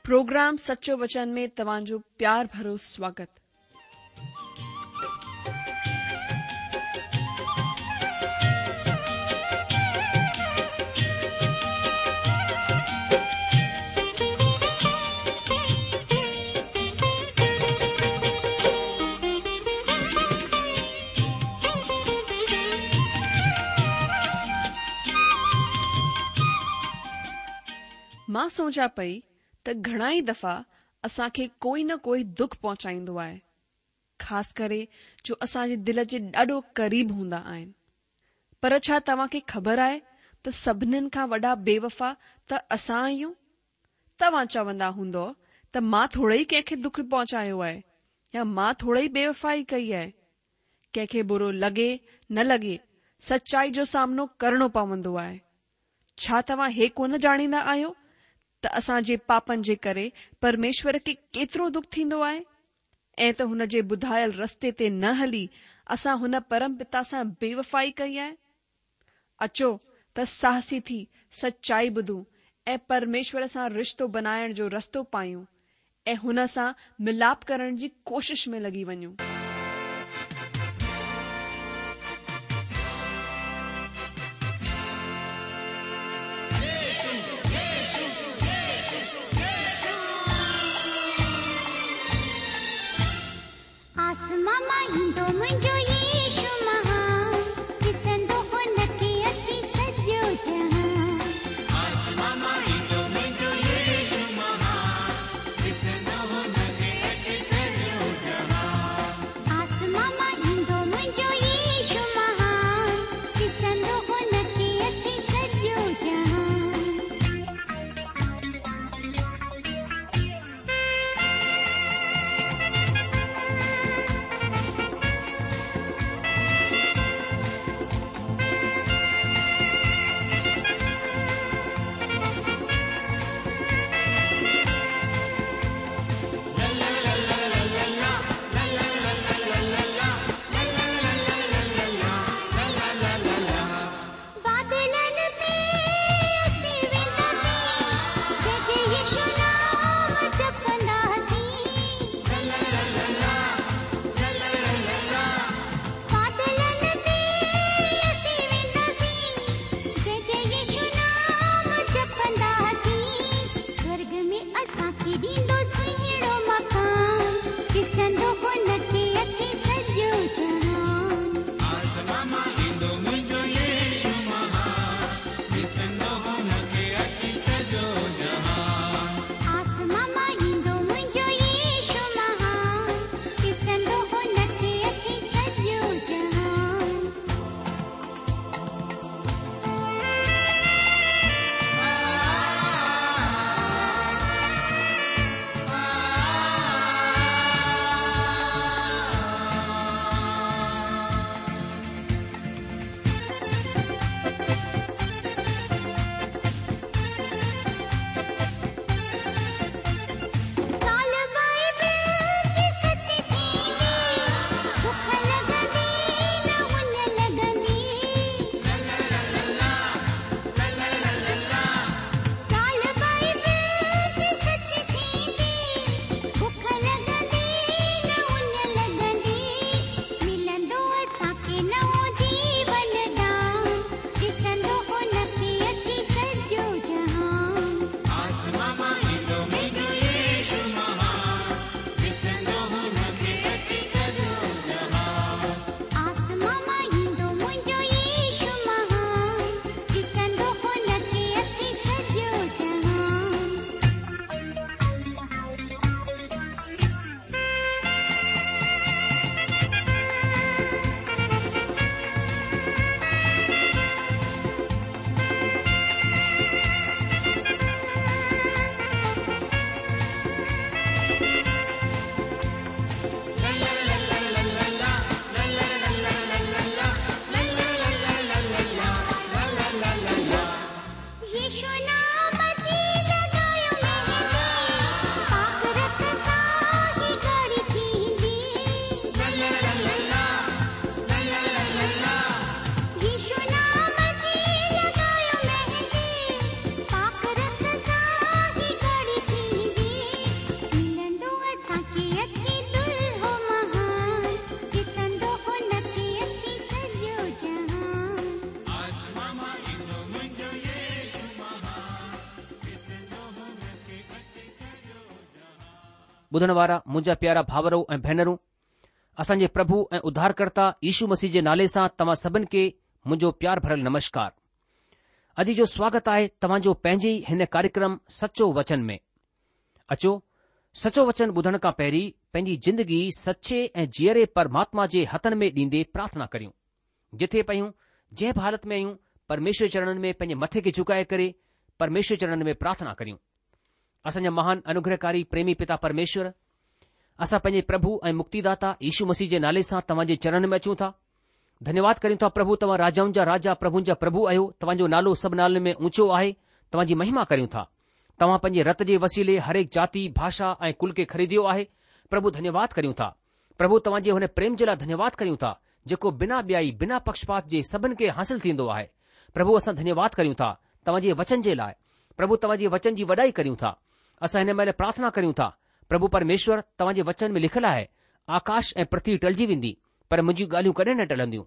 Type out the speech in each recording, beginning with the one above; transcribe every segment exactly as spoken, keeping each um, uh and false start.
Programme سچو وچن ۾ توهان جو پيار ڀرو سواگت. مان سوچان پئي ته گهڻا ئي دفعا اسان کي ڪوئي نه ڪوئي دک پهچائيندو آهي، خاص ڪري جو اسان جي دل جي ڏاڍو قريب هوندا آهن. پر ڇا توهان کي خبر آهي ته سڀنين کان وڏا بيوفا ته اسان آهيون؟ توهان چوندا هوندؤ ته مان ٿورو ئي ڪنهن کي دک پهچايو آهي يا مان ٿورو ئي بيوفائي ڪئي آهي. ڪنهن کي برو لڳي نه لڳي، سچائي جو سامنو ڪرڻو پوندو آهي. ڇا توهان هي ڪونه ڄاڻيندا آهيو ته اسان جي پاپن جي ڪري پرميشور کي ڪيترو دک ٿيندو آهي ۽ ته هن جي ٻڌايل رستي تي نه هلي اسان هن پرم پتا سان بيوفائي ڪئي آهي؟ اچو ته ساهسي ٿي سچائي ٻڌون ۽ پرميشور سان رشتو بنائڻ جو رستو پايون ۽ هن سان ملاپ ڪرڻ جي ڪوشش ۾ لڳي وڃون. آسمان مان ايندو منهنجو يشو مهان، ڏسندو هن کي اچي سڄو جهان. آسمان مان ايندو منهنجو يشو مهان، ڏسندو هن کي اچي سڄو جهان. آسمان مان ايندو منهنجو يشو مهان، ڏسندو هن کي اچي سڄو جهان. بادلن تي اسين وينداسين، جئي جئي يشو نام جپنداسين. بادلن تي اسين وينداسين، جئي جئي يشو نام جپنداسين. سورڳ ۾ اسان کي ڏيندو سهڻو مڪان، ڏسندو هن کي اچي سڄو جهان. آسمان مان ايندو منهنجو يشو مهان، ڏسندو هن کي اچي سڄو جهان. آسمان مان ايندو منهنجو يشو مهان، ڏسندو هن کي اچي سڄو جهان. ٻڌڻ وارا منهنجا پيارا ڀائرو ۽ ڀينرون، اسان جي پرڀو ۽ اڌارڪرتا يشو مسيح جي نالي سان توهان سڀن کي منهنجو پيار ڀريل نمشڪار. اڄ جو سواگت آهي توهان جو پنهنجي ئي هن ڪاريڪرم سچو وچن ۾. اچو سچو وچن ٻڌڻ کان پهرين پنهنجي زندگي سچي ۽ جيئري پرماتما جي هٿن ۾ ڏيندي پرارٿنا ڪريون. جٿي پيون جنهن به حالت ۾ آهيون پرميشور چرڻن ۾ پنهنجي مٿي کي جهڪائي ڪري پرميشور چرڻن ۾ پرارٿنا ڪريون. اسان جا مهان انوگرهڪاري پريمي پتا پرميشور، اسان پنهنجي پرڀو ۽ مڪتيداتا يشو مسيح جي نالي سان توهان جي چرڻن ۾ اچون ٿا. ڌنيواد ڪريون ٿا پرڀو توهان راجائن جا راجا پرڀن جا پرڀو آهيو، توهان جو نالو سڀ نالن ۾ اونچو آهي، توهان جي مهما ڪريون ٿا. توهان پنهنجي رت جي وسيلي هرهڪ جاتي، ڀاشا ۽ ڪل کي خريديو آهي، پرڀو ڌنيواد ڪريون ٿا. پرڀو توهان جي هن پريم جي لاء ڌنيواد ڪريون ٿا، جيڪو بنا ٻيائي، بنا پڪشپات جي سڀن کي حاصل ٿيندو آهي. پرڀو اسان ڌنيواد ڪريون ٿا توهان جي وچن جي لاء. پرڀو توهان جي وچن جي وڏائي ڪريون ٿا. اسان هن مهل پرارٿنا ڪريون ٿا، پرڀو پرميشور توهان جي وچن ۾ لکيل آهي، آڪاش ۽ پرٿوي ٽلجي ويندي، پر منهنجيون ڳالهيون ڪڏهن نه ٽلنديون.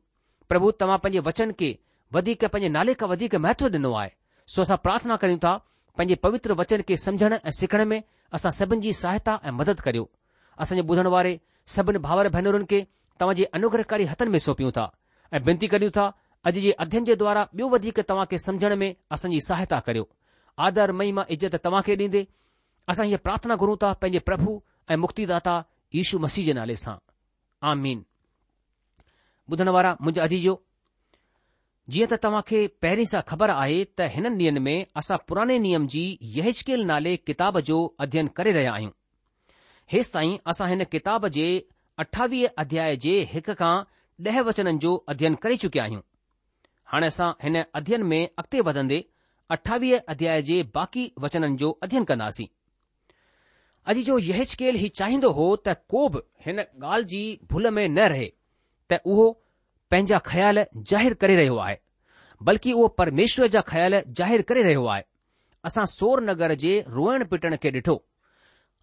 پرڀو توهان پنهنجي وچن کي وڌيڪ پنهنجي نالي کان وڌيڪ مهتو ڏنو آهي، سو اسان پرارٿنا ڪريون ٿا پنهنجي پوتر وچن کي سمجهڻ ۽ سکڻ ۾ اسان سڀن جي سهائتا ۽ مدد ڪريو. اسان جي ٻڌڻ واري سڀن ڀائر ڀينرن کي توهان جي انوگرهڪاري هٿن ۾ سونپيون ٿا ۽ بنتي ڪريون ٿا اڄ جي اڌين جي دوارا ٻيو وڌيڪ توهان کي سمجهڻ ۾ اسان جي سهائتا ڪريو. آدر، مهما، عزت توهان کي ڏيندي اسان هيء پرارٿنا گهرون ٿا پنهنجي پرڀو ۽ مڪتيداتا يشو مسيح جي نالي سان. آمين. ٻڌڻ وارا منهنجا عزيزو، جيئن ته توهان کي پهرين سان خبر آهي ته هنن ڏينهن ۾ اسان پراڻي نيم جي يحزقيل نالي ڪتاب جو اڌين ڪري رهيا آهيون. هيستائين اسان هن ڪتاب جي اٺاويهه اڌياء جي هڪ کان ڏهه وچنن جو اڌين ڪري چڪيا آهيون. هاڻي اسان هن اڌين ۾ اڳتي وڌندي اٺاويهه اڌياء جي باقي وچنن جو اڌين ڪنداسين. اڄ جو يحزقيل هي چاهيندو هو ته ڪو به هن ڳالهه جي ڀل ۾ نه رهي ته اهو پنهنجا خيال ظاهر ڪري رهيو آهي، بلڪ اهو پرميشور جا خيال ظاهر ڪري رهيو آهي. اسان سور نگر جي روئڻ پٽڻ کي ڏٺو.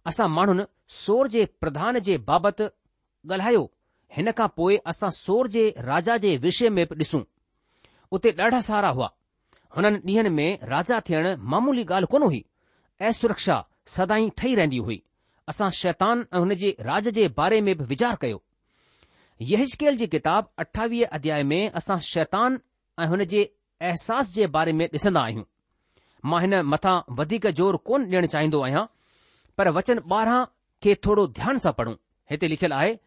اسان ماڻهن سور جي پرڌان جي بابت ڳالهايو، هن کان پوء اسان سور جي راجا جي وشي ۾ به ڏسون. اتي ڏاڍا سارا هئا. هنن ڏينهن ۾ راجا ٿيڻ معمولي ڳالهه ڪونه هئي. اسرڪشا سدائين ٺهي رهندي هئي. اسان شيطان ۽ هن جي راڄ جي باري ۾ به ويچار ڪيو. يحزقيل جي ڪتاب اٺاويهه اڌياء ۾ اسان شيطان ۽ هن جي احساس جي باري ۾ ڏسندا آهيون. مان هن مٿان وڌيڪ زور ڪونه ڏيڻ چاهيندو آهيان، پر وچن ٻارهن کي ٿورو ڌيان سان پڙهون. هتي لکيل آهي،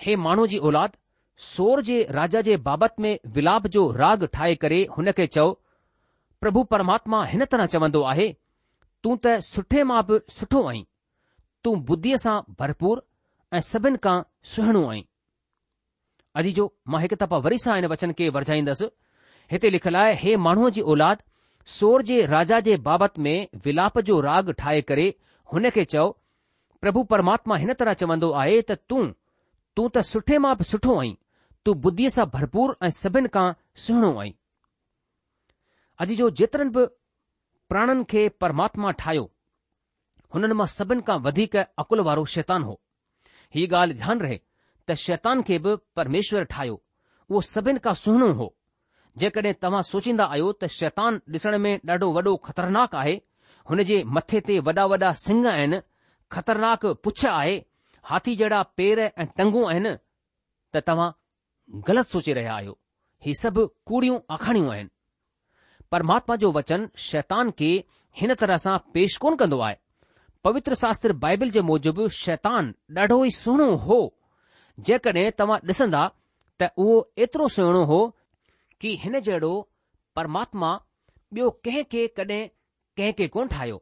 هي ماڻهوء جي اولاد، سور جي راجا جي بابت ۾ ولاپ جو راڳ ٺاهي ڪري هن کي چئو، پرڀو پرماتما هن طرح چوندو آهي، تون ته سٺي مان به سٺو آهين، تون ٻڌيء سان ڀرپور ۽ سڀن کان سهڻو آهين. عزيزو، مان هڪ دفعا وري سان هن وچن کي ورجائيندس. هتي لکيل آهي، هي ماڻهوء جي اولاد، سور جي راجا جي بابت ۾ ولاپ جو راڳ ٺاهي ڪري هن کي چئو، پرڀو پرماتما هن طرح چوندو آهي ته تون، تون ته سٺي مان به سٺو آهين، تون ٻڌيء سان ڀرپور ۽ سڀن کان سهڻو آهين. عزيزو، جيترن به پراڻن کي پرماتما ٺاهيو، هنن مان سڀن کان وڌيڪ عقل وارو شيطان هو. هيء ڳالهه ڌيان رهي ته شيطان کي به پرميشور ٺاهيو، اهو سڀن کان سهڻو هو. جيڪڏهن توهان سوچيندا آهيو ته شيطان ڏسڻ ۾ ڏاڍو وڏو خطرناڪ آهي، هن جي مٿي تي وڏا وڏا سڱ آهن، خطرناڪ پڇ آهي، هاٿي جهڙا پير ۽ ٽنگون آهن ته توهان غلط سوچي رهيا آهيو. هي سڀ ڪوڙيون آکاڻيون آهن. پرماتما جو وچن شيطان کي هن طرح سان پيش ڪونه ڪندو آهي. پوتر شاستر بائبل جي موجب شيطان ڏاڍو ئي سهڻو هو. جيڪڏهن توهان ڏسندا ته اهو ايترو سهڻو هو ڪي هن جهڙو پرماتما ٻيو ڪنهن کي ڪڏهن ڪنهن کي ڪونه ٺاهيو.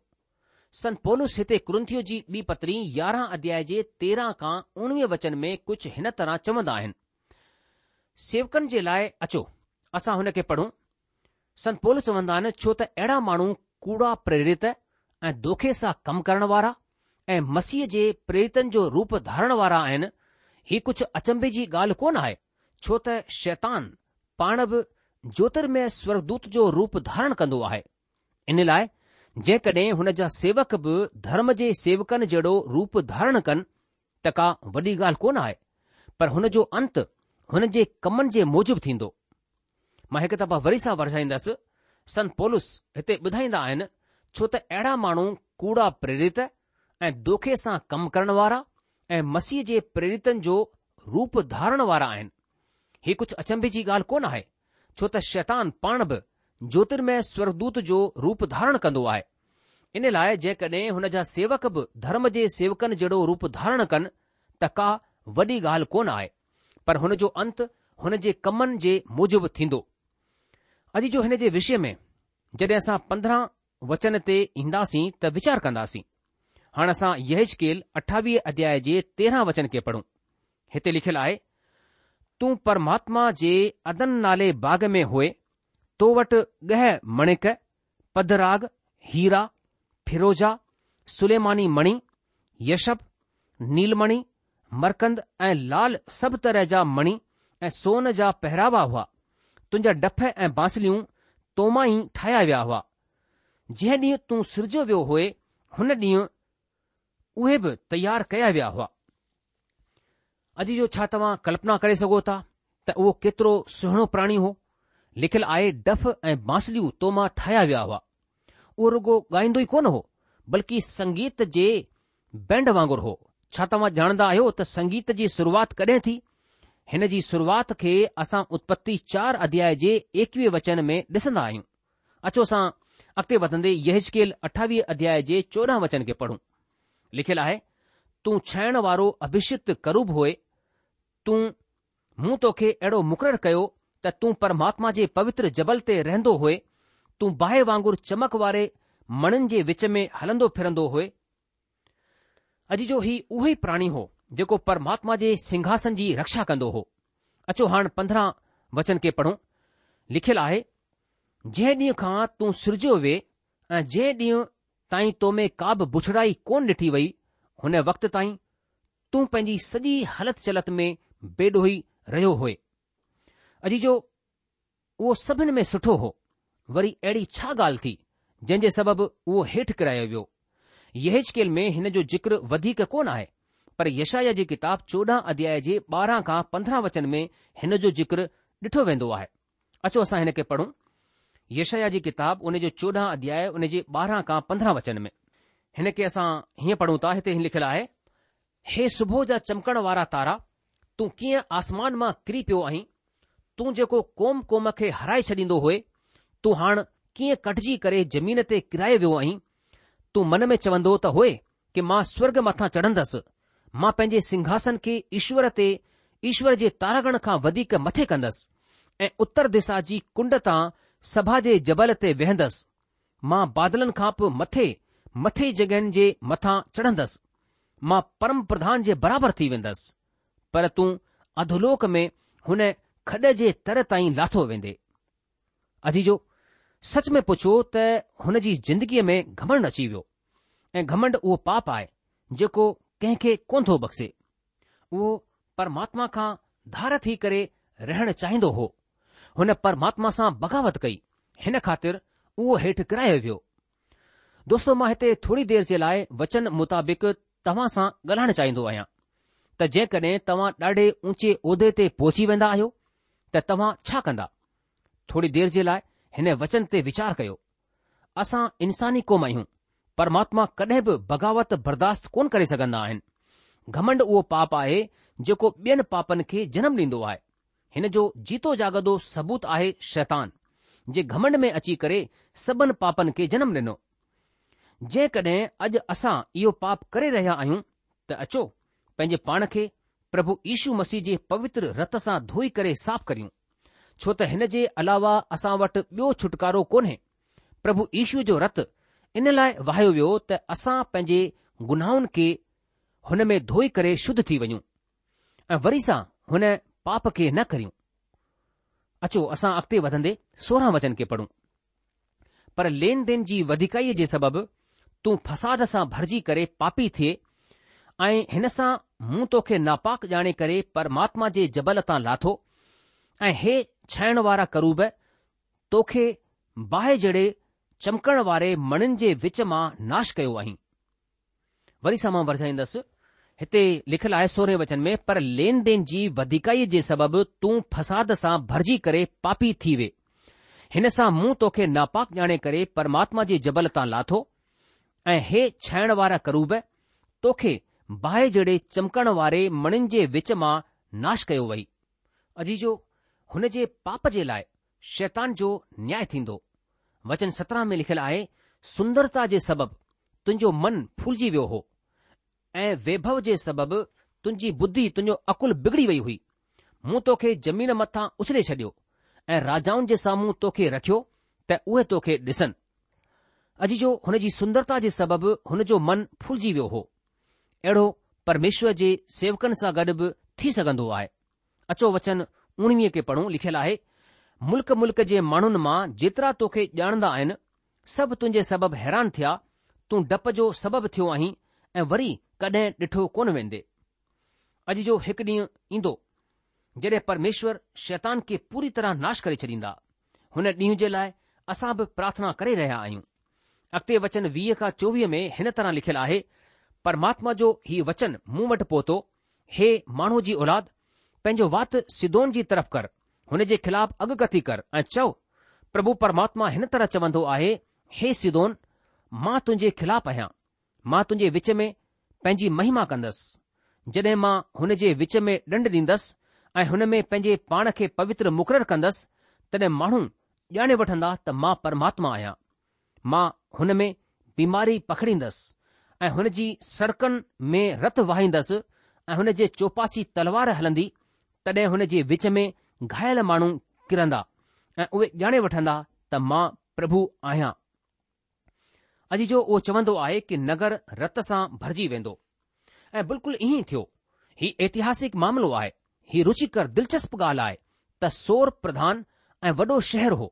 سنت پولس هتي ڪرنٿيو جي ٻي پتري يارهن اڌياء جي تيرهن کان اڻويهه وچن ۾ ڪجهه هن طرح چوندا آهن. سيوڪن جي لاء اچو اسان هن کي پڙهون. سنت پولس چوندا آهن ڇو ته اهڙا ماڻهو ڪوڙا پريرت ۽ دوکي سان ڪم ڪرڻ وارا ۽ مسيح جي پريرتن جو روپ ڌارڻ وارا آهن، هي ڪجهه اچنڀي جي ڳالهه ڪونه آهي، ڇو ته شيطان پاڻ به جوترميه سورگدوت جو روپ ڌارڻ ڪندو آهي. ان لاء جيڪڏهن هن جا سيوڪ به ڌرم جي سيوڪن جهڙو روپ ڌارڻ ڪن ته ڪا وڏي ڳالهه ڪونه آهي، پر هن جو انت هن جي ڪمن جي موجب ٿيندو. مان هڪ دفعا وري سان ورجائيندس، سنت پولس هتي ٻڌائيندا آهن، ڇو ته اهڙا ماڻهو ڪوڙا پريرت ۽ دوکي سان ڪم ڪرڻ وارا ۽ مسيح جي پريرتن جو روپ ڌارڻ وارا آهن. هي ڪجهه اچنڀي جي ڳالهه ڪونه آهي، ڇو ته شيطان پاڻ به جوترمئي سورڳدوت جو روپ ڌارڻ ڪندو آهي. ان لاء جيڪڏهن هن جا سيوڪ به ڌرم جي سيوڪن جهڙو روپ ڌارڻ ڪن ته ڪا وڏي ڳالهه ڪونه آهي، پر هن جو انت هن جي ڪمن جي موجب ٿيندو. عزيزو هن جي وشي ۾ جڏهن اسان پندرهن وچن تي اينداسين ته ويچار ڪنداسين. هاڻ اسان يحزقيل اٺاويهه اڌياء جي تيرهن وچن کي پڙهون. هتي لکيل آهي، تون پرماتما جي عدن نالي باغ ۾ هئي، تو وٽ ڳهه مڻڪ، پدراڳ، هيرا، فيروزا، سليماني مڻي، يشب، نيلمڻي، مرڪند ۽ لال سڀ طرح جا مڻي ۽ سون جا پهراوا هئا. تنهنجا ڊڦ ۽ بانسليون تو مان ئي ٺاهيا ويا هئا. جنهن ڏينهن تون سرجيو ويو هئي، هن ڏينهن اهي به تيار ڪيا ويا هئا. عزيزو ڇا توهان ڪلپنا ڪري سگهو ٿا ته اهو ڪيترو سهڻو پراڻي هو؟ لکيل آهي ڊڦ ۽ بانسليون تو مان ٺاهيا ويا هئا. اهو رڳو ڳائيندو ئي ڪونه هو، بلڪه سنگيت جي بينڊ وانگر هو. ڇا توهان ڄاڻندا آهيو ته سنگيت جي شروعات ڪڏهن ٿي؟ هن جي شروعات کي اسان اتپتي چار اڌياء جي ايڪويهه وچن ۾ ڏسندا آهيون. اچو اسان اڳتي وڌندي يحزقيل اٺاويهه اڌياء جي چوڏهن وچن کي پڙهون. لکيل آهي، تون ڇهڻ وارو اڀشڪت ڪروب هئي، تون مون توکي اهڙو مقرر ڪيو ته تون پرماتما جي پوتر جبل تي رهندو هئي، تون باهه وانگر چمڪ واري مڻين جي وچ ۾ هلندو ڦرندو هئي. عزيزو هي اهو ئي پراڻي هو جيڪو پرماتما جي سنگهاسن جي رڪشا ڪندو هو. اچو هاڻ پندرهن وچن کي پڙهون. لکيل آهي، جنهن ڏينهن کان تون سرجيو وئي ۽ جنهن ڏينهن تائين تو ۾ ڪا به بڇڙائي ڪونه ڏٺي وئي، هن وقت تائين تون پنهنجي سڄي هلت چلت ۾ بيڏوهي رهيو هئي. عزيزو اهو سڀن ۾ سٺو هو، وري اهڙي ڇا ڳالهه ٿي، جنهن جي سبب اهو هيٺ ڪرايو ويو؟ يحزقيل ۾ هن جو ذڪر وڌيڪ ڪونه آهي، پر يشعيا جي ڪتاب چوڏهن اڌياء جي ٻارهن کان پندرهن وچن ۾ هن جو ذڪر ڏٺو ويندو آهي. اچو اسان هن کي پڙهون. يشعيا جي ڪتاب ان جو چوڏهن اڌياء ان جي ٻارهن کان پندرهن وچن ۾. هن کي اسان هيئن پڙهون ٿا، هتي هيئن لکيل آهي، هي صبح جا چمڪڻ وارا تارا، تون ڪيئن آسمان مان ڪري پيو آهين؟ تون جيڪو قوم قوم کي هارائي ڇڏيندو هئي، تون هاڻ ڪيئن ڪٽجي ڪري زمين تي ڪرايو ويو آهين؟ تون من ۾ چوندو ته هئي ڪه مان سورڳ مٿان چڙهندس، مان پنهنجي سنگهاسن کي ايشور تي ايشور جي تاراگڻ کان وڌيڪ مٿي ڪندس ۽ اتر دسا جي ڪنڊ تان سڀا جي جبل تي ويهندس. مان بادلن کان به مٿي مٿي جڳهين جي مٿان چڙهندس. مان پرم پرڌان جي برابر ٿي ويندس. پر تون اڌولوڪ ۾ هن کڏ جي تر تائين لاٿو ويندي. عزيزو، سچ ۾ پڇو ته هن جي زندگيء ۾ گهمنڊ اچي ويو ۽ گهمنڊ اهو پاپ آهي جيڪو ڪنهن کي ڪونه ٿو بخشي. اهو پرماتما کان ڌار ٿي ڪري رهڻ چاهيندو هو. هن پرماتما سان بغاوت ڪئي، هن خاطر اهو هيٺ ڪرايو ويو. دوستو مان هتي ٿوري دير جي لاء وچن مطابق توهان سان ڳالهائڻ چاهيندو آهيان ته جيڪڏهن توهان ڏاڍي اونچي عهدي تي پهچي ويندا آهيو ته توهان ڇا ڪندا؟ ٿوري دير جي لاء هن وچن تي ويچار ڪيو. اسان انساني قوم آهيون، پرماتما ڪڏهن به بغاوت برداشت ڪونه ڪري سگهندا آهن. گهمنڊ اهو پاپ آهي جيڪو ٻين پاپن کي جنم ڏيندو آهي. هن جو جيتو جاڳندو ثبوت آهي شيطان، جنهن گهمنڊ ۾ اچي ڪري سڀن پاپن کي جنم ڏنو. جيڪڏهن اڄ اسان اهو پاپ ڪري رهيا آهيون ته اچو پنهنجي پاڻ کي پرڀو يشو مسيح جي پوتر رت سان ڌوئي ڪري صاف ڪريون، ڇو ته هن جي علاوه اسان وٽ ٻيو ڇوٽڪارو ڪونهي. پرڀو يشو جو رت ان لاء وهايو ويو ته اسان پنهنجي گناهن کي هن ۾ ڌوئي ڪري شڌ ٿي وڃون ۽ وري سان هن پاپ کي نه ڪريون. اچو اسان اڳتي وڌندي سورهن وچن کي پڙهون. پر لين دين جي وڌيڪائيء جي سبب تون فساد سان ڀرجي ڪري پاپي ٿئي ۽ هن سان مون توکي ناپاڪ ڄاڻي ڪري پرماتما جي جبل تان لاٿو ۽ هي ڇائڻ وارا ڪروب توکي باهه جهڙي چمڪڻ واري مڻين جي وچ مان ناش ڪيو آهين. وري سان مان ورجائيندس، هتي لکيل آهي سورهين وچن ۾ پر لين دين جي وڌيڪائيء جي سبب تون فساد سان ڀرجي ڪري پاپي ٿي وي. هن سان مون توکي ناپاڪ ڄاڻي ڪري پرماتما جي جبل تان لاٿو ۽ هي ڇائڻ وارا ڪروب، توکي باهه جهڙي چمڪڻ واري مڻين جي وچ مان ناش ڪيو وئي. عزيزو، هن جي پاپ جي لاء شيطان جو نياء ٿيندو. وچن سترهن ۾ لکيل آهي، سندرتا جي سبب تنهنجو من ڦولجي ويو هو ۽ ويڀو جي سبب تنهنجي ٻڌي تنهنجو عقل بگڙي وئي هئي. مون توکي زمين مٿان اڇلي ڇڏيو ۽ راجائن جي سامهون توکي رکيو ته اهي توکي ڏسن. عزيزو، هن جي سندرتا جي سبب هن جو من ڦولجي ويو هو. اهڙو پرميشور جي سيوڪن سان گڏ به ٿي سگهندو آهي. اچو وچن اڻويهه کي پڙهون، لکيل آهي، ملڪ ملڪ جي ماڻهن مان جيترا توکي ڄاڻندا آهن، سڀ تنهنجي سبب حيران ٿيا، تون ڊپ جو سبب ٿيو آهين ۽ وري ڪڏهن ڏٺو ڪونه ويندي. عزيزو، هڪ ڏينهن ايندو جڏهن پرميشور شيطان کي پوري طرح ناش ڪري ڇڏيندا. هن ڏينهن جي لاء اسان به پرارٿنا ڪري رهيا آهيون. اڳتي وچن ويهه کان چوويهه ۾ هن طرح لکيل آهي، پرماتما جو هي وچن مون وٽ پهتو، هي ماڻهوء جي اولاد، پنهنجو وات سيدون جي طرف ڪر، هن جي خلاف اڳڪٿي ڪر ۽ چئو، پرڀو پرماتما هن طرح چوندو آهي، هي سيدون، مان تنهنجي خلاف آهيان، مان تنهنجي وچ ۾ پنهنجي مهما ڪندس. جڏهن مان هن جي وچ ۾ ڏنڊ ڏيندس ۽ هن ۾ پنهنجي پاڻ کي پوتر مقرر ڪندس، تڏهن ماڻهو ڄاڻي وٺندا ته مان پرماتما آهيان. مان هن ۾ بيماري پکڙيندس ۽ هن جي سڙڪن ۾ رت وهائيندس ۽ هن جي چوپاسي تلوار هلندي، تڏهن هن جي وچ ۾ گهايل ماڻهو ڪرندا ۽ اهي ڄاڻي وٺندا ته مان پرڀو آهيان. عزيزو، اهو چوندو آهي ڪه نگر رت سان ڀرجي ويندو ۽ بلڪل ائين ئي ٿيو. هي اتهاسڪ معاملو آهي. هي رچيڪر دلچسپ ڳالهه آهي ته سور پرڌان ۽ وڏو شهر هو.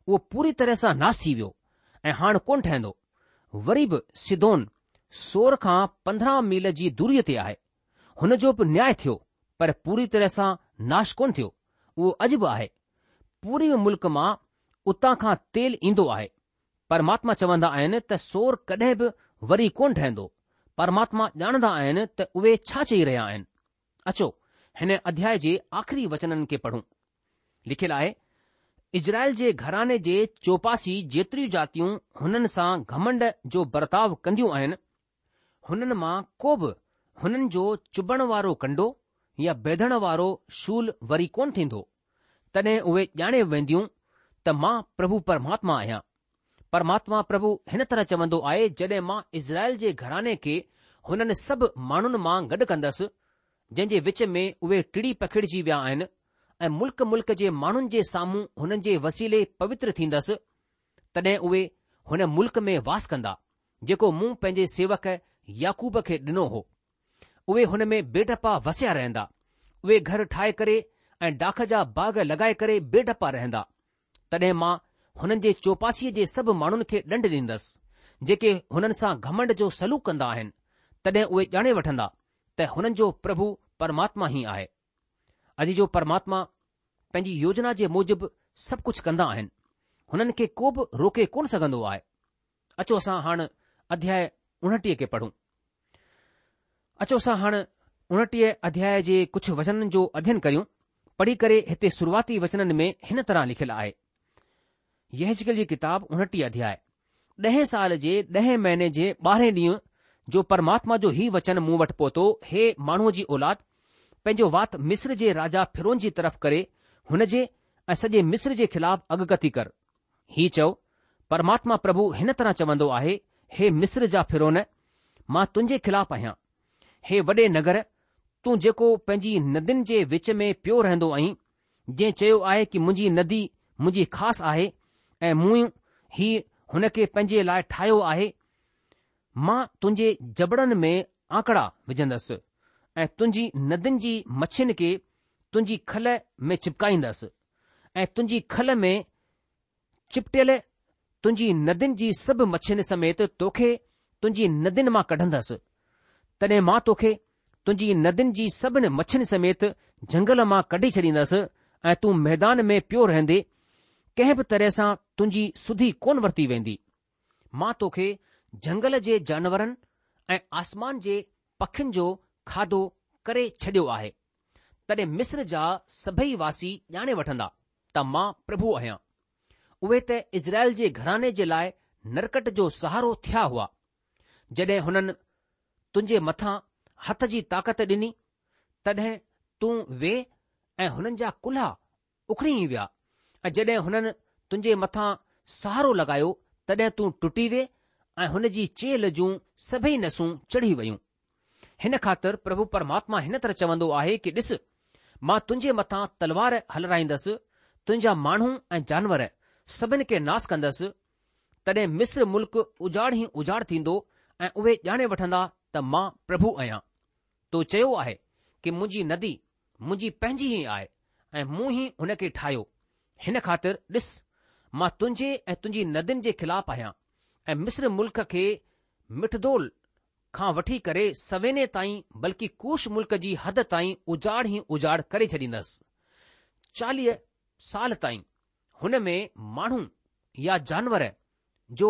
اهو پوري طرح سان ناش ٿي ويو ۽ هاڻ ڪونه ٺهندو. وري به سيدون سور کان پندرهن ميل جي دوريء تي آهي. هن جو به نياء ٿيو پر پوري طرح سان ناش ڪونه ٿيو. اهو اڄ به آهي. پوري ملڪ مان اتان کان تيل ايندو آهي. پرماتما چوندا آهن ته سور ڪڏهن به وري ڪونه ٺهندو. پرماتما ڄاڻندا آهن ته اهي ڇا چئي رهيا آهن. اچو هن اڌياء جي آخري وچنن کي پڙهون. لکيل آهي، اسرائيل جي گهراڻي جي چوپاسي جيتريون جاتيون هنن سان گهمنڊ جو برتاء ڪنديون آهن، هنن مان ڪو به هنن جو چڀڻ وارو ڪنڊو يا بيڌڻ وارو شول وري ڪونه ٿيندو. تڏهن اهي ڄاڻي وينديون ته مان پرڀو پرماتما آهيان. پرماتما پرڀو هن طرح چوندو آهي، جڏهن مان اسرائيل جي گهراڻي کي هنن سڀ ماڻهن مان گڏ ڪندس، جنهن جي وچ ۾ اهي ٽڙي پکڙجي ويا آهن ۽ ملڪ ملڪ جي ماڻهن جي سامهون هنن جي وسيلي پوتر ٿيندس، تڏهن اهي هن ملڪ ۾ واس ڪندا، جيڪو مون پنهنجي سيوڪ يعقوب کي ڏنو هو. اهي هن ۾ بي ڊپا وسيا رهندا. اهي گهر ٺاهي ڪري ۽ ڊاک جا باغ لڳائي ڪري بي ڊپا رهندا. تڏهن مان هنن جي چوپاسيء جي سڀ ماڻهن کي ڏنڊ ڏيندس، جيڪي هنن سان گهمنڊ جو سلوڪ ڪندا آهن، تڏهن اهي ڄاڻي وٺندا ته هنن جو پرڀو پرماتما ئي آهي. عزيزو، پرماتما پنهنجي يوجنا جي موجب سڀ ڪجهه ڪندا آهن. هنن کي ڪو به روڪي ڪونه سگهندو آهي. اچو اسان هاڻ اڌياء اڻٽيهه کي پڙهون. اچو اسان هاڻ اڻٽيهه اڌياء جي ڪجهه وچنن جو اڌين ڪريون. پڙهي ڪري هتي شروعاتي وچنن ۾ هن طرح لکيل آهي. يحزقيل جي ڪتاب اڻٽيهه اڌياء، ڏهين سال جي ڏهين مهيني جي ٻارهين ڏينهن جو پرماتما جو هي وچن مون وٽ پهتو، هي ماڻهوء جي اولاد، پنهنجو وات مصر جي راجا فرعون جي طرف ڪري هن جي ۽ سڄي مصر جي خلاف اڳڪٿي ڪر. هي چئو، پرماتما پرڀو هن طرح چوندو آهي، هي مصر جا فرعون، مان تنهنجي خلاف آهيان. هي وڏي نگر، تون جيڪو پنهنجي ندين جي وچ ۾ پيو رهندو آهين، جنهن چيو آهي ڪه منهنجي ندي منهنجي خاص آهي ۽ مون ئي هن کي پنهنجي لاء ٺاهيو آهي، مان تنهنجي جبڙن ۾ آنڪڙا وجهندس ۽ تنهنجي ندين جي مڇين کي تنهنجي کل ۾ چپڪائيندس ۽ تنهنجي کل ۾ چپٽيل تنهنجي ندين جي سڀ مڇين سميت توکي تنهنجي ندين مان ڪڍندس. تڏهن مان توکي تنهنجي ندين جي سڀن مڇين سميت جهنگل مان ڪڍي ڇڏيندس ۽ تون ميدان ۾ پيو رهندي، ڪنهن به طرح سان تنهنجي سڌي ڪونه ورتي ويندي. مان توکي جهنگل جي جانورن ۽ آسمان جي پکين جو کاڌو ڪري ڇڏيو آهي. تڏهن مصر جا سڀئي واسي ڄاڻي وٺندا ته مان پرڀو آهيان. اهي ته اسرائيل جي گهراڻي جي لاء نرڪٽ جو سهارو ٿيا هئا، جڏهن هنن تنهنجي مٿان هٿ جي طاقت ڏني، تڏهن تون وي ۽ هنن جا ڪلها اکڙي ئي ويا ۽ جڏهن هنن تنهنجي مٿان سهارو لڳايو تڏهن تون ٽٽي وي ۽ هن جي چيلهه جون سڀئي نسون چڙهي ويون. هن خاطر پرڀو پرماتما هن طرح چوندو آهي ڪي ڏس، مان تنهنجي مٿان تلوار هلرائيندس، تنهنجا ماڻهو ۽ جانور سڀن کي ناس ڪندس، تڏهن مصر ملڪ اجاڙ ئي اجاڙ ٿيندو ۽ اهي ڄاڻي وٺندا ته مان پرڀو آهيان. تو چيو آهي ڪي منهنجي ندي منهنجي پنهنجي ئي آهي ۽ مون ئي هن کي ٺاهيو. هن خاطر ڏس، مان تنهنجي ۽ تنهنجي ندين جي خلاف آهيان ۽ مصر ملڪ کي مگدول کان وٺي ڪري سويني تائين بلڪه ڪوش ملڪ جي حد تائين اجاڙ ئي اجاڙ ڪري ڇڏيندس. چاليهه سال تائين هن ۾ ماڻهو يا جانور جو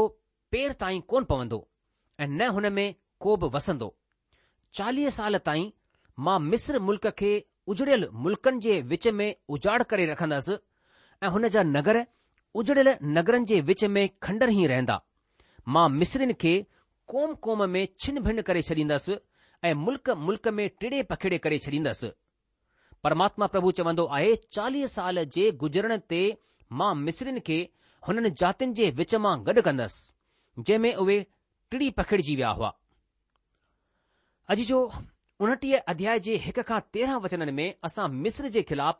پير تائين ڪونه پوندو ۽ نه هن ۾ ڪو به وسندو. چاليهه سال تائين مان مصر ملڪ کي اجڙيل ملڪن جي وچ ۾ اجاڙ ڪري رکندس ۽ هن جا نگر اجڙيل نگرن جي وچ ۾ کنڊر ئي رهندا. مان مصرين کي قوم قوم ۾ ڇن ڀن ڪري ڇڏيندس ۽ ملڪ ملڪ ۾ ٽڙي پکيڙي ڪري ڇڏيندس. پرماتما پرڀو چوندو آهي، چاليهه سال جي گذرڻ تي مان مصرين کي هنن جاتين جي وچ مان گڏ ڪندس، جنهن ۾ اهي ٽڙي پکڙجي ويا هئا. عزيزو، اڻٽيهه اڌياء جي هڪ کان تيرهن وچنن ۾ اسان مصر جي خلاف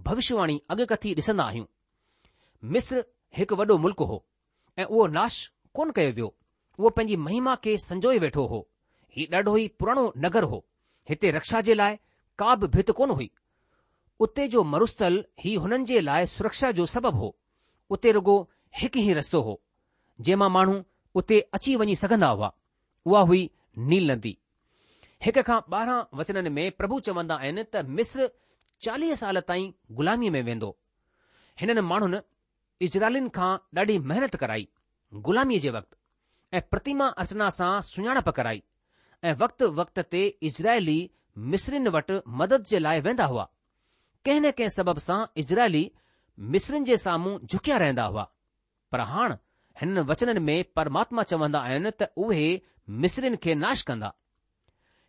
ڀوشيواڻي اڳڪٿي ڏسندا آهيون. مصر هڪ وڏو ملڪ هو ۽ اهو ناش ڪونه ڪيو ويو. اهو پنهنجي مهما کي سنجوئي ويٺو هو. هي ڏاڍو ئي پراڻو نگر هو. هتي رڪشا جي لاء ڪا به ڀت ڪونه هئي. اتي جو مروسٿل ئي هنن جي لاء سرڪشا جو سبب هو. اتي رڳو هڪ ئي رستو هو، جنهن مان ماڻهو اتي اچي وڃي سگهندا هئا. اها هئي نيل ندي. هڪ کان ٻارهن وچنن ۾ پرڀو چوندا آهن ته مصر چاليهه سال تائين غلاميء ۾ ويندو. هنن ماڻهن اسرائيلين کان ڏاڍي محنت ڪرائي غلاميء جي وقت ۽ پرتيما ارچنا سان سڃاڻپ ڪرائي ۽ وقت وقت تي اسرائيلي مصرين وٽ مدد جي لاء ويندا هئا. ڪنهن نه ڪنهن سبب سان اسرائيلي مصرين جي سامهون جهڪيا رهندا هئا. پر هاڻ هنن وچنن ۾ پرماتما چوندا آهن ته اهي مصرين کي ناش ڪندا.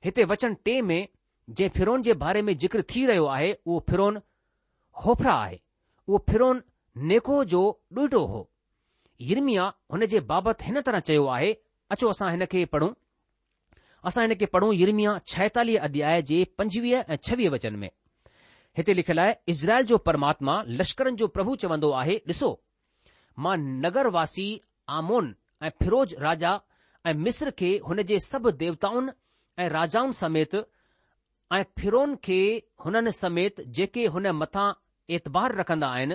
هتي وچن ٽي ۾ جنهن فرعون جي باري ۾ ذڪر ٿي رهيو آهي اهو فرعون حوفرا آهي. اهو فرعون نيڪو جو ڏوهٽو هو. يرمياه هن جي بابت هن طرح چيو آهي، اچو اسان هن کي پڙهون. اسان هن کي پڙهون يرمياه ڇائيتاليهه اڌياء جي پنجويهه ۽ ڇويهه وچن ۾. هتي لکيل آهي، اسرائيل جو پرماتما لشڪرن جو پرڀو چوندو آهي، ڏسو، مان نگر واسي آمون ۽ فروج راجا ۽ مصر کي هن جي سڀ ديوتائن ۽ راجائن سميت ۽ فرعون کي هنن سميت جيڪي هن مٿان اعتبار رکندا آهن،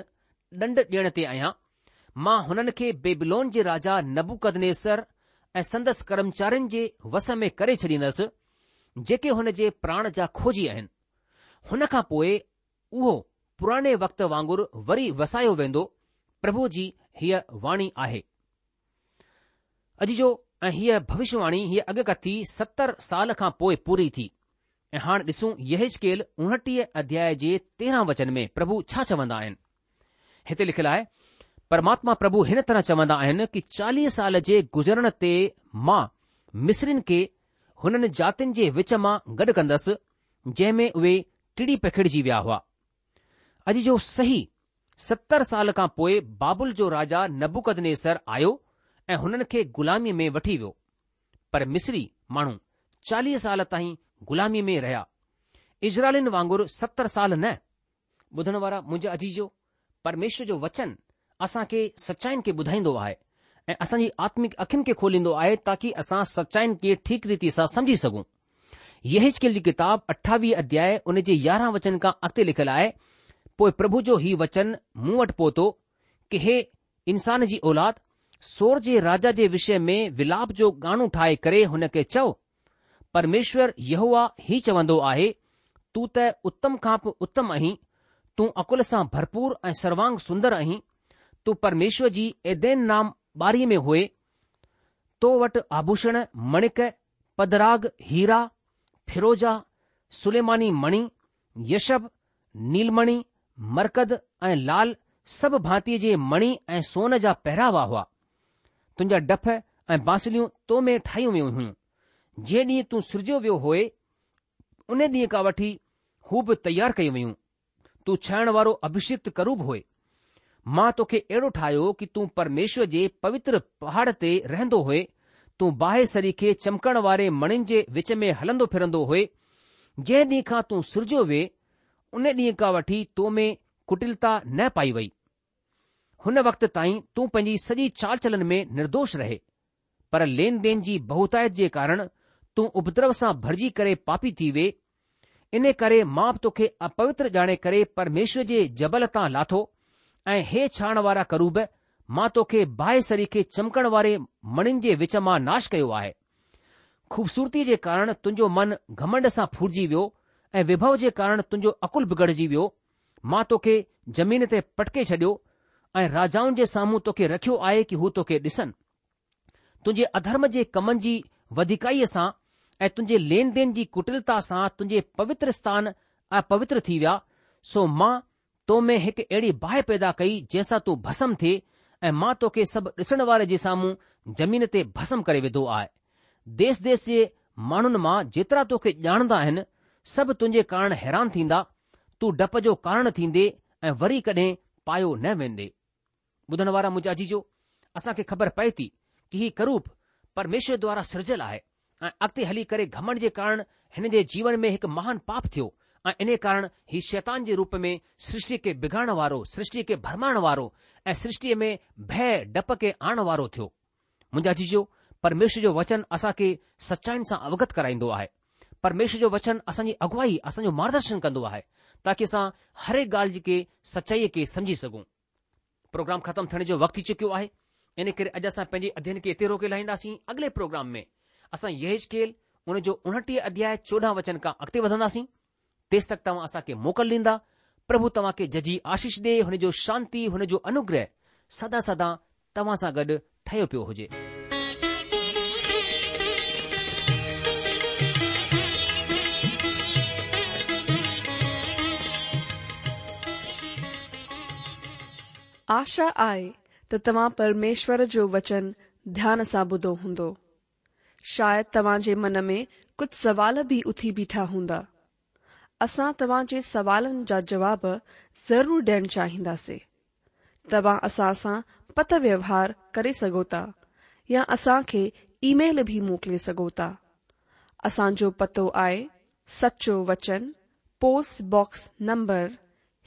ڏنڊ ڏيڻ تي آهيان. مان هنن کي بيبلون جي راجا نبوڪدنيسر ۽ سندس ڪرمچارين جي وس ۾ ڪري ڇڏيندس، جيڪي هن جي پراڻ جا کوجي آهن. هن کان پوء اهو پراڻي وقت وانگر وري وسايو ويندو، پرڀو جي هيء واڻي آهي. عزيزو ۽ هيء ڀوشيواڻي هيء اڳڪٿي ستر سال کان پوء پوري ٿي. ۽ هاڻ ڏسون يحيزڪيل اڻٽيهه اڌياء جي تيرهن وچن ۾ پرڀو ڇا چوندا آهن. هتي لکيل آهي، پرماتما پرڀو هن طرح چوندا آهن ڪي چاليهه سال جي گذرڻ تي مان مصرين کي هنن جاتين جي وچ مان گڏ ڪندس، جنهن ۾ اهي ٽڙي پکڙجي ويا هئا. عزيزو صحيح ستر سال کان پوء بابل جو راجا نبوڪدنيسر آيو ۽ هنن کي غلاميء ۾ وٺي ويو. پر مصري ماڻهو چاليهه سال تائين غلاميء ۾ رهيا. اسرائيلين وانگر ستر سال نه. ٻڌڻ وارا منهنجا عزيزو، پرميشور جو وچن اسان کي سچائين کي ٻڌائيندو آهي ۽ اسان جي آتمڪ اکين کي کوليندو آهي تاڪي اسان سچائين کي ٺيڪ ريتي سان سمجهي سگهون. يحيزڪيل جي ڪتاب اٺاويهه اڌياء ان جي يارهن وچن کان اڳتي لکيل آهي، پوء پرڀو جو هي وچن مون وٽ پهتو ڪي هي انسان جي اولاد، سور جي راجا جي وشي ۾ ولاپ جو ڳاڻو ٺاهي ڪري هن کي چئو، پرميشور يهوه هي چوندو آهي، تون ته اتم کان به اتم آهين، تون عقل سان ڀرپور ۽ سروانگ سندر آهين، تون پرميشور جي ايدين نام ٻاريء ۾ هئي، تو وٽ آڀوشڻ، مڻڪ، پدراڳ، هيرا، فيروزا، سليماني مڻي، يشب، نيلمڻي، مرڪت ۽ لال سڀ ڀانتيء جي مڻي ۽ سون جا پهراوا هئا. تنهنجا ڊف ۽ بانسليون تو ۾ ٺاهيون ويون هيون، جنهن ڏينهن تون سرجيو ويو هئي، ان ڏينهن کان وٺي هو به تيار ڪيون ويون. تون ڇهڻ وارو اڀشڪت ڪروب هئي. مان توکي اهڙو ٺاهيو ڪي تون پرميشور جي پوتر پهاڙ تي رهندو هئي، تون باهه سريکي چمڪڻ واري مڻين جي وچ ۾ هلندو ڦرندو هئي. جنهن ڏينهن کان تون سرجيو وئي، ان ڏينهن کان وٺي تو ۾ ڪٽلتا نه پائي وئي. هن وقت تائين تون پنهنجي سڄي چال چلن ۾ نردوش رهي، پر لين دين جي بهتايت جي ڪارڻ تون اپدرو سان ڀرجي ڪري پاپي ٿي وئي. ان ڪري مان به توکي اپوتر ڄاڻي ڪري پرميشور جي جبل تان لاٿو ۽ هي ڇهڻ وارا ڪروب، مان توکي باهه سريکي چمڪڻ واري مڻين جي وچ مان ناش ڪيو آهي. خوبصورتيء جي ڪارڻ تنهنجو من گهمنڊ سان ڦورجي ويو ۽ ويڀو جي ڪارڻ تنهنجو عقل بگڙجي ويو. مان توکي زمين تي پٽڪي ڇڏيو ۽ راجائن جي سامهون توکي رکيو آهي ڪي هو توکي ڏسن. تنهنجي اڌرم جي ڪمن جي وڌيڪائيء سان ۽ تنهنجي لين دين جي ڪٽلتا سان تنهنجي پوتر اسٿان اپوتر ٿي ويا، سو مان تو ۾ هڪ اهڙي باهه پيدا ڪئي جنهن سان تون ڀسم ٿئي ۽ مان توکي سڀ ڏسڻ واري جي سامهون زمين تي ڀسم ڪري وڌو آهي. ديس ديس جي ماڻهن مان جيترا توکي ڄاڻندا آهن، سڀ تنهنجي ڪارڻ حيران ٿيندا، تون ڊپ جو ڪارڻ ٿيندي ۽ وري ڪڏهن پايو نه ويندي. ٻڌڻ وارا منهنجا عزيزو، اسان کي خبر پئي ٿي ڪي هي ڪروب پرميشور دوارا سرجيل آهي ۽ اڳتي هلي ڪري گهمنڊ جي ڪارڻ هن جي جيون ۾ هڪ مهان پاپ ٿيو ۽ انهي ڪارڻ هي شيطان جي روپ ۾ سرشٽيء کي بگاڙڻ وارو، سرشٽيء کي ڀرمائڻ وارو ۽ سرشٽيء ۾ ڀئه ڊپ کي آڻڻ وارو ٿيو. منهنجا عزيزو، پرميشور جو وچن اسان کي سچائين سان اوگت ڪرائيندو آهي. پرميشور جو وچن اسان جي اڳوائي، اسان جو مارگدرشن ڪندو آهي، تاڪي اسان هر هڪ ڳالهه کي سچائيء کي سمجهي سگهون. پروگرام ختم ٿيڻ جو وقت ٿي چڪيو آهي، ان ڪري اڄ اسان پنهنجي اڌيين کي اتي روڪي لاهينداسين. اڳلي پروگرام ۾ اسان يحزقيل ان جو اڻٽيهه اڌياء چوڏهن وچن کان اڳتي وڌنداسين. تيس تڪ توهان اسان کي موڪل ڏيندا. پرڀو توهان کي ججهي آشيش ڏي، هن جو شانتي، هن جو انوگره سدا سدا توهان سان گڏ ٺهيو پيو هجي. آشا آهي ته توهان پرميشور جو وچن ڌيان سان ٻڌو هوندو. شايد توهان جي من ۾ ڪجهه سوال به اٿي بيٺا هوندا. اسان توهان جي سوالن جا جواب ضرور ڏيڻ چاهينداسين. توهان اسان سان پتر ويوهار ڪري سگهو ٿا يا اسان کي اي ميل به موڪلي سگهو ٿا. اسان جو پتو آهي سچو وچن پوسٽ باڪس نمبر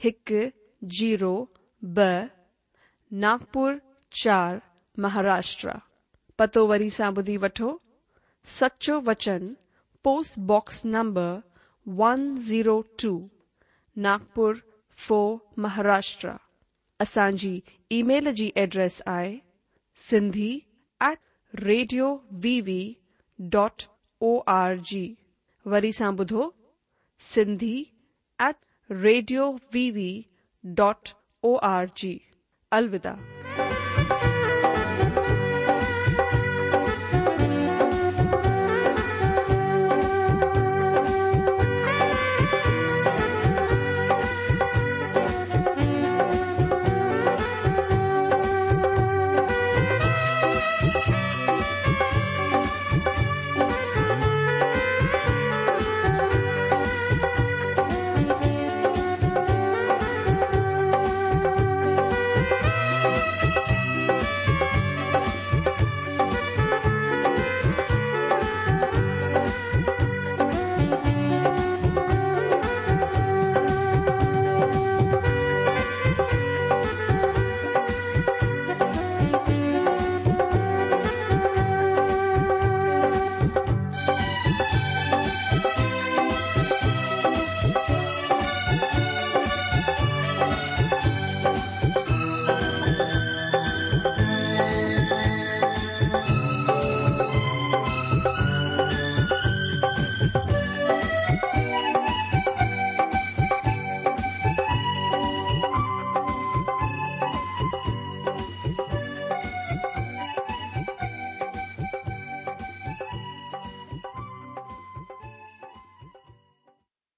هڪ زيرو ٻه ناگپور چار مهاراشٽر. پتو وري سان ٻڌي وٺو، سچو وچن post box number one zero two Nagpur four Maharashtra. اسان جي اي ميل جي ايڊريس آهي Sindhi at radio V V dot O R G. وري سان ٻڌو Sindhi at radio V V dot O R G. الوداع.